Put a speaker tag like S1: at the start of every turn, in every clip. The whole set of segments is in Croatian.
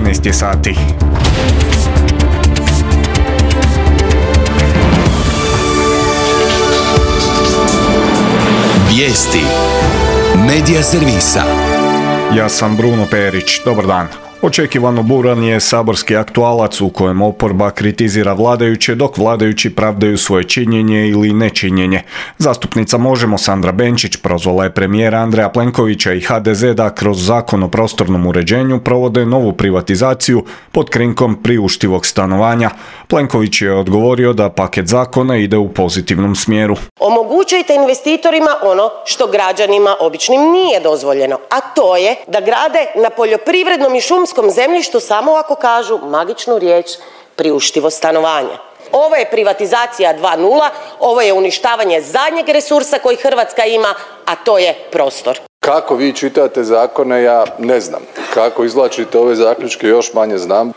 S1: 13 je sati.
S2: Vijesti Medija servisa.
S1: Ja sam Bruno Perić, dobar dan. Očekivano buran je saborski aktualac u kojem oporba kritizira vladajuće dok vladajući pravdaju svoje činjenje ili nečinjenje. Zastupnica Možemo Sandra Benčić prozvala je premijera Andreja Plenkovića i HDZ da kroz Zakon o prostornom uređenju provode novu privatizaciju pod krinkom priuštivog stanovanja. Plenković je odgovorio da paket zakona ide u pozitivnom smjeru.
S3: Omogućujte investitorima ono što građanima običnim nije dozvoljeno, a to je da grade na poljoprivrednom i šumskom zemljištu samo ako kažu magičnu riječ priuštivo stanovanje. Ovo je privatizacija 2.0, ovo je uništavanje zadnjeg resursa koji Hrvatska ima, a to je prostor.
S4: Kako vi čitate zakone, ja ne znam. Kako izvlačite ove zaključke, još manje znam.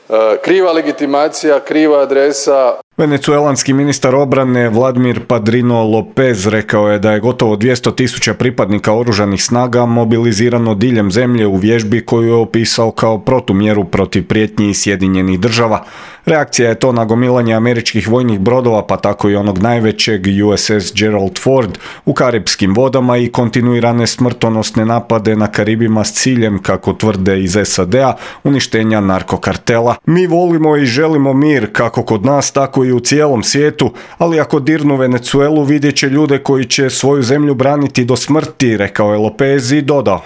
S4: Kriva legitimacija, kriva adresa.
S1: Venecuelanski ministar obrane Vladimir Padrino Lopez rekao je da je gotovo 200.000 pripadnika oružanih snaga mobilizirano diljem zemlje u vježbi koju je opisao kao protumjeru protiv prijetnji Sjedinjenih država. Reakcija je to na gomilanje američkih vojnih brodova, pa tako i onog najvećeg USS Gerald Ford u karipskim vodama i kontinuirane smrtonosne napade na Karibima s ciljem, kako tvrde iz SAD-a, uništenja narkokartela. Mi volimo i želimo mir, kako kod nas, tako i u cijelom svijetu, ali ako dirnu Venecuelu vidjet će ljude koji će svoju zemlju braniti do smrti, rekao je Lopez i dodao.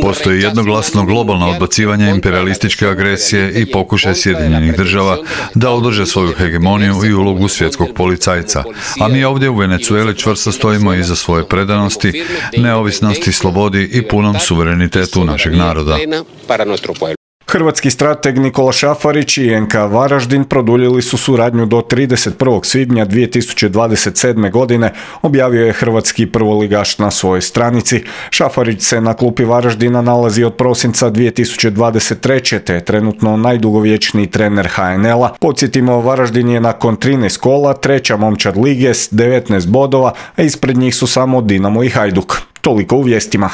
S5: Postoji jednoglasno globalno odbacivanje imperialističke agresije i pokušaj Sjedinjenih država da održe svoju hegemoniju i ulogu svjetskog policajca. A mi ovdje u Venecueli čvrsto stojimo iza svoje predanosti, neovisnosti, slobodi i punom suverenitetu našeg naroda.
S1: Hrvatski strateg Nikola Šafarić i NK Varaždin produljili su suradnju do 31. svibnja 2027. godine, objavio je hrvatski prvoligaš na svojoj stranici. Šafarić se na klupi Varaždina nalazi od prosinca 2023. te je trenutno najdugovječniji trener HNL-a. Podsjetimo, Varaždin je nakon 13 kola treća momčad lige s 19 bodova, a ispred njih su samo Dinamo i Hajduk. Toliko u vijestima.